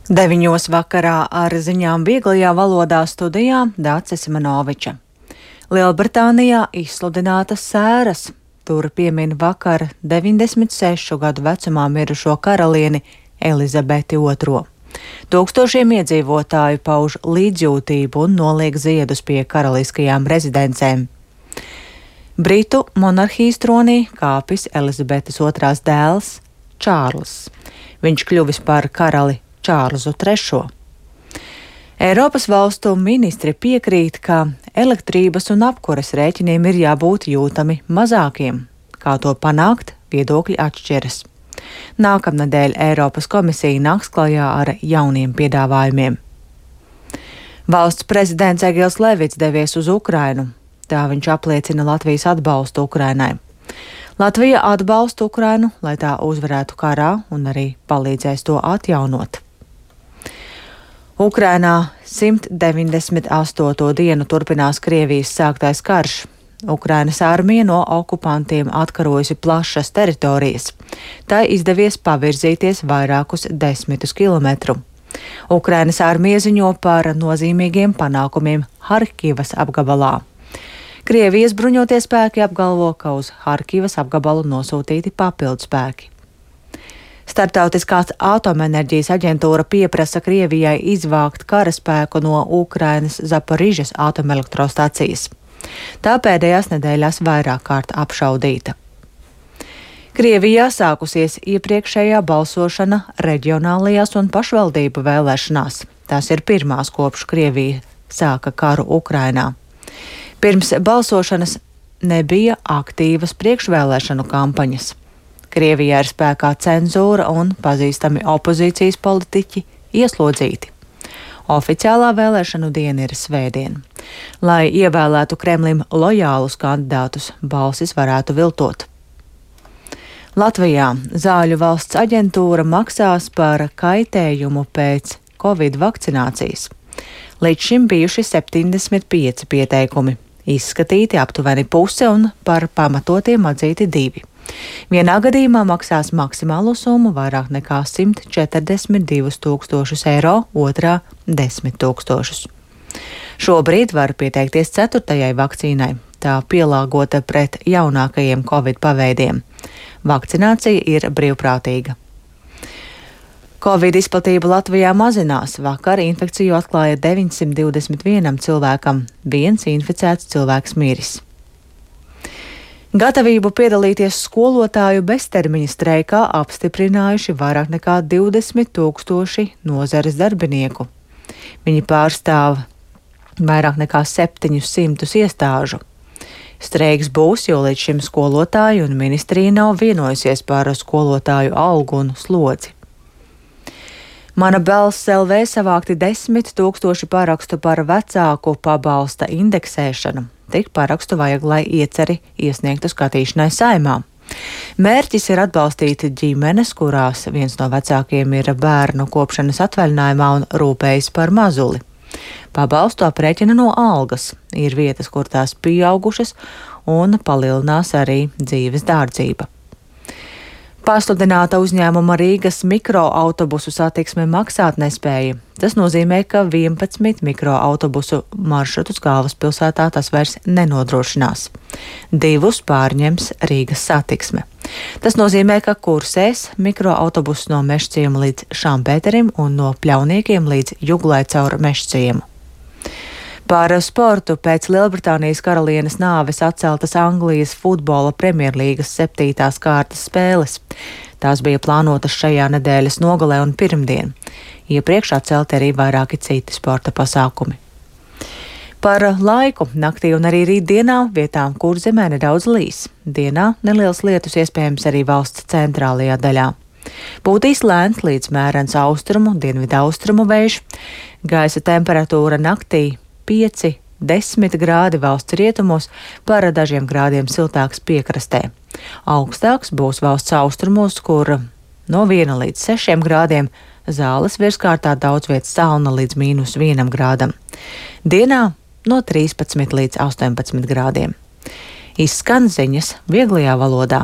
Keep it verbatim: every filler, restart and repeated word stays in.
Deviņos vakarā ar ziņām vieglajā valodā studijā Dācis Manoviča. Lielbritānijā izsludinātas sēras. Tur piemin vakar deviņdesmit sešu gadu vecumā mirušo karalieni Elizabeti otro. Tūkstošiem iedzīvotāju pauž līdzjūtību un noliek ziedus pie karaliskajām rezidencēm. Britu monarhijas tronī kāpis Elizabetes otrās dēls Čārls. Viņš kļuvis par karali Čārlzu trešo. Eiropas valstu ministri piekrīt, ka elektrības un apkures rēķiniem ir jābūt jūtami mazākiem. Kā to panākt, viedokļi atšķiras. Nākamnedēļ Eiropas komisija nāks klajā ar jauniem piedāvājumiem. Valsts prezidents Egils Levits devies uz Ukrainu. Tā viņš apliecina Latvijas atbalstu Ukrainai. Latvija atbalsta Ukrainu, lai tā uzvarētu karā un arī palīdzēs to atjaunot. Ukrainā simt deviņdesmit astoto dienu turpinās Krievijas sāktais karš. Ukrainas armija no okupantiem atkarojusi plašas teritorijas. Tai izdevies pavirzīties vairākus desmitus kilometru. Ukrainas armija ziņo par nozīmīgiem panākumiem Harkivas apgabalā. Krievijas bruņotie spēki apgalvo, ka uz Harkivas apgabalu nosūtīti papildu spēki. Startautiskās atomenerģijas aģentūra pieprasa Krievijai izvākt karaspēku no Ukrainas Zaporižas atomelektrostacijas. Tā pēdējās nedēļās vairāk kārt apšaudīta. Krievijā sākusies iepriekšējā balsošana reģionālajās un pašvaldību vēlēšanās. Tās ir pirmās kopš Krievija sāka karu Ukrainā. Pirms balsošanas nebija aktīvas priekšvēlēšanu kampaņas. Krievijā ir spēkā cenzūra un pazīstami opozīcijas politiķi ieslodzīti. Oficiālā vēlēšanu diena ir svētdiena. Lai ievēlētu Kremlim lojālus kandidātus, balsis varētu viltot. Latvijā Zāļu valsts aģentūra maksās par kaitējumu pēc Covid vakcinācijas. Līdz šim bijuši septiņdesmit pieci pieteikumi, izskatīti aptuveni puse un par pamatotiem atzīti divi. Vienā gadījumā maksās maksimālo summu vairāk nekā simt četrdesmit divus tūkstošus eiro, otrā desmit tūkstošus. Šobrīd var pieteikties ceturtajai vakcīnai, tā pielāgota pret jaunākajiem Covid paveidiem. Vakcinācija ir brīvprātīga. Covid izplatība Latvijā mazinās. Vakar infekciju atklāja deviņsimt divdesmit vienam cilvēkam, viens inficēts cilvēks miris. Gatavību piedalīties skolotāju beztermiņa streikā apstiprinājuši vairāk nekā divdesmit tūkstoši nozares darbinieku. Viņi pārstāv vairāk nekā septiņus simtus iestāžu. Streiks būs, jo līdz šim skolotāju un ministrija nav vienojusies par skolotāju algu un slodzi. Mana balss L V savākti desmit tūkstoši parakstu par vecāku pabalsta indeksēšanu. Tik parakstu vajag, lai ieceri iesniegtu skatīšanai Saeimā. Mērķis ir atbalstīt ģimenes, kurās viens no vecākiem ir bērnu kopšanas atvaļinājumā un rūpējas par mazuli. Pabalstu aprēķina no algas. Ir vietas, kur tās pieaugušas un palielinās arī dzīves dārdzība. Pasludināta uzņēmuma Rīgas mikroautobusu satiksme maksāt nespēja. Tas nozīmē, ka vienpadsmit mikroautobusu maršrutus galvaspilsētā tas vairs nenodrošinās. Divus pārņems Rīgas satiksme. Tas nozīmē, ka kursēs mikroautobusu no Mežciema līdz Šampēterim un no Pļauniekiem līdz Juglai caur Mežciemu. Par sportu pēc Lielbritānijas karalienes nāves atceltas Anglijas futbola Premjerlīgas septītās kārtas spēles. Tās bija plānotas šajā nedēļas nogalē un pirmdien. Iepriekš atcelti arī vairāki citi sporta pasākumi. Par laiku naktī un arī rītdienā vietām Kurzemē nedaudz līs. Dienā neliels lietus iespējams arī valsts centrālajā daļā. Pūtīs lēns līdz mērens austrumu, dienvidaustrumu vējš. Gaisa temperatūra naktī pieci līdz desmit grādi valsts rietumos, par dažiem grādiem siltāks piekrastē. Augstāks būs valsts austrumos, kur no viena līdz sešiem grādiem, Zāles virskārtā daudz vietas salna līdz mīnus vienam grādam. Dienā no trīspadsmit līdz astoņpadsmit grādiem. Izskan ziņas vieglajā valodā.